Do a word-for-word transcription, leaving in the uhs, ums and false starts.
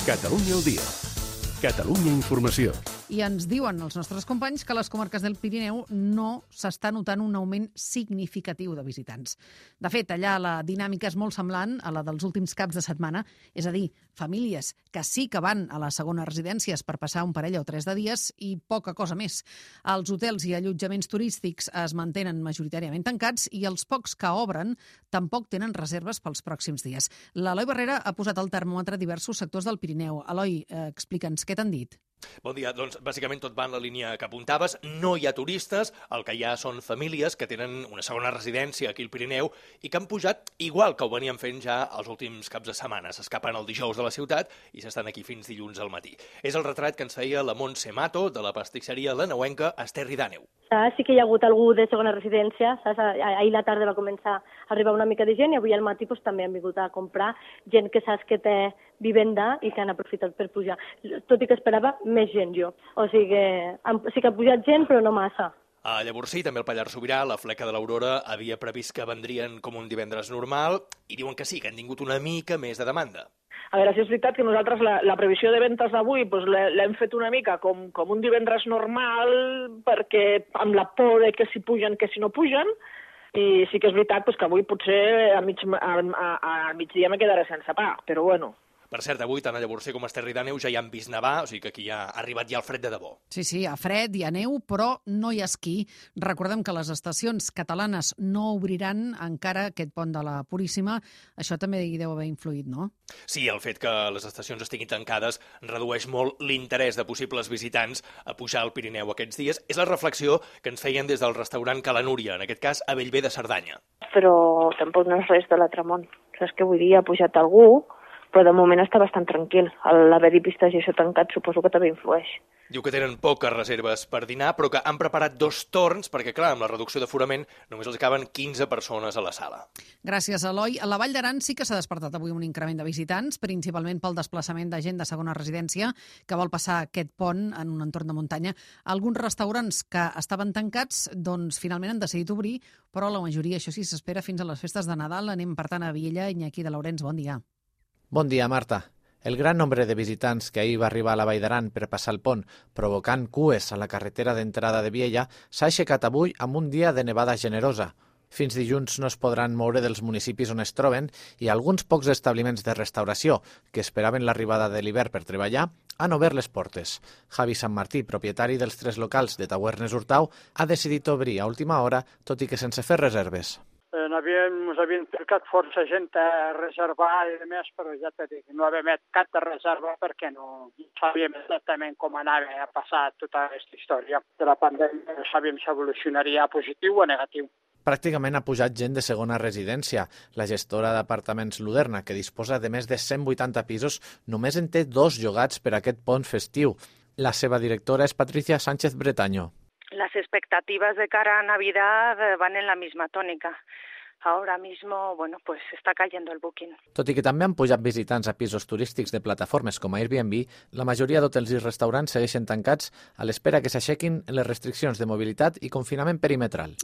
Catalunya al dia. Catalunya Informació. I ens diuen els nostres companys que a les comarques del Pirineu no s'està notant un augment significatiu de visitants. De fet, allà la dinàmica és molt semblant a la dels últims caps de setmana, és a dir, famílies que sí que van a les segones residències per passar un parell o tres de dies i poca cosa més. Els hotels i allotjaments turístics es mantenen majoritàriament tancats i els pocs que obren tampoc tenen reserves pels pròxims dies. L'Eloi Barrera ha posat al termòmetre diversos sectors del Pirineu. Eloi, eh, explica'ns què t'han dit. Bon dia. Doncs bàsicament tot va en la línia que apuntaves. No hi ha turistes, el que hi ha són famílies que tenen una segona residència aquí al Pirineu i que han pujat igual que ho venien fent ja els últims caps de setmana. S'escapen el dijous de la ciutat i s'estan aquí fins dilluns al matí. És el retrat que ens feia la Montse Mato de la pastisseria lanauenca Esterri d'Àneu. Sí que hi ha hagut algú de segona residència, saps? Ahir la tarda va començar a arribar una mica de gent i avui al matí pues, també han vingut a comprar gent que saps que té vivenda i que han aprofitat per pujar. Tot i que esperava més gent jo. O sigui que sí que ha pujat gent però no massa. A Llavorsí, també al Pallars Sobirà, la Fleca de l'Aurora havia previst que vendrien com un divendres normal i diuen que sí, que han tingut una mica més de demanda. A veure, si és veritat que nosaltres la, la previsió de ventes d'avui doncs, l'hem fet una mica com, com un divendres normal perquè amb la por de que si pugen, que si no pugen, i sí que és veritat doncs, que avui potser a, mig, a, a, a migdia me quedaré sense pa, però bueno. Per cert, avui tant a Llavorsí com a Esterri d'Àneu ja hi han vist nevar, o sigui que aquí ja ha arribat ja el fred de debò. Sí, sí, a fred i a neu, però no hi ha esquí. Recordem que les estacions catalanes no obriran encara aquest pont de la Puríssima. Això també hi deu haver influït, no? Sí, el fet que les estacions estiguin tancades redueix molt l'interès de possibles visitants a pujar al Pirineu aquests dies. És la reflexió que ens feien des del restaurant Ca la Núria, en aquest cas a Bellver de Cerdanya. Però tampoc no és res de l'altre món. Saps què vull dir? Ha pujat algú, però de moment està bastant tranquil. L'haver-hi pistes i això tancat suposo que també influeix. Diu que tenen poques reserves per dinar, però que han preparat dos torns, perquè, clar, amb la reducció d'aforament només els caben quinze persones a la sala. Gràcies, Eloi. A la Vall d'Aran sí que s'ha despertat avui un increment de visitants, principalment pel desplaçament de gent de segona residència que vol passar aquest pont en un entorn de muntanya. Alguns restaurants que estaven tancats, doncs finalment han decidit obrir, però la majoria, això sí, s'espera fins a les festes de Nadal. Anem, per tant, a Viella. Iñaki de Laurens, bon dia. Bon dia, Marta. El gran nombre de visitants que ahir va arribar a la Vall d'Aran per passar el pont, provocant cues a la carretera d'entrada de Viella, s'ha aixecat avui amb un dia de nevada generosa. Fins dilluns no es podran moure dels municipis on es troben i alguns pocs establiments de restauració que esperaven l'arribada de l'hivern per treballar han obert les portes. Javi Sant Martí, propietari dels tres locals de Tavernes Hurtau, ha decidit obrir a última hora, tot i que sense fer reserves. Ens havien trucat força gent a reservar i més, però ja t'he dit, no havia met cap de reserva perquè no sabíem exactament com anava a passar tota aquesta història de la pandèmia. No sabíem si evolucionaria a positiu o a negatiu. Pràcticament ha pujat gent de segona residència. La gestora d'apartaments Luderna, que disposa de més de cent vuitanta pisos, només en té dos llogats per a aquest pont festiu. La seva directora és Patricia Sánchez Bretaño. Las expectativas de cara a Navidad van en la misma tónica. Ahora mismo, bueno, pues está cayendo el booking. Tot i que també han pujat visitants a pisos turístics de plataformes com Airbnb, la majoria d'hotels i restaurants segueixen tancats a l'espera que s'aixequin les restriccions de mobilitat i confinament perimetral.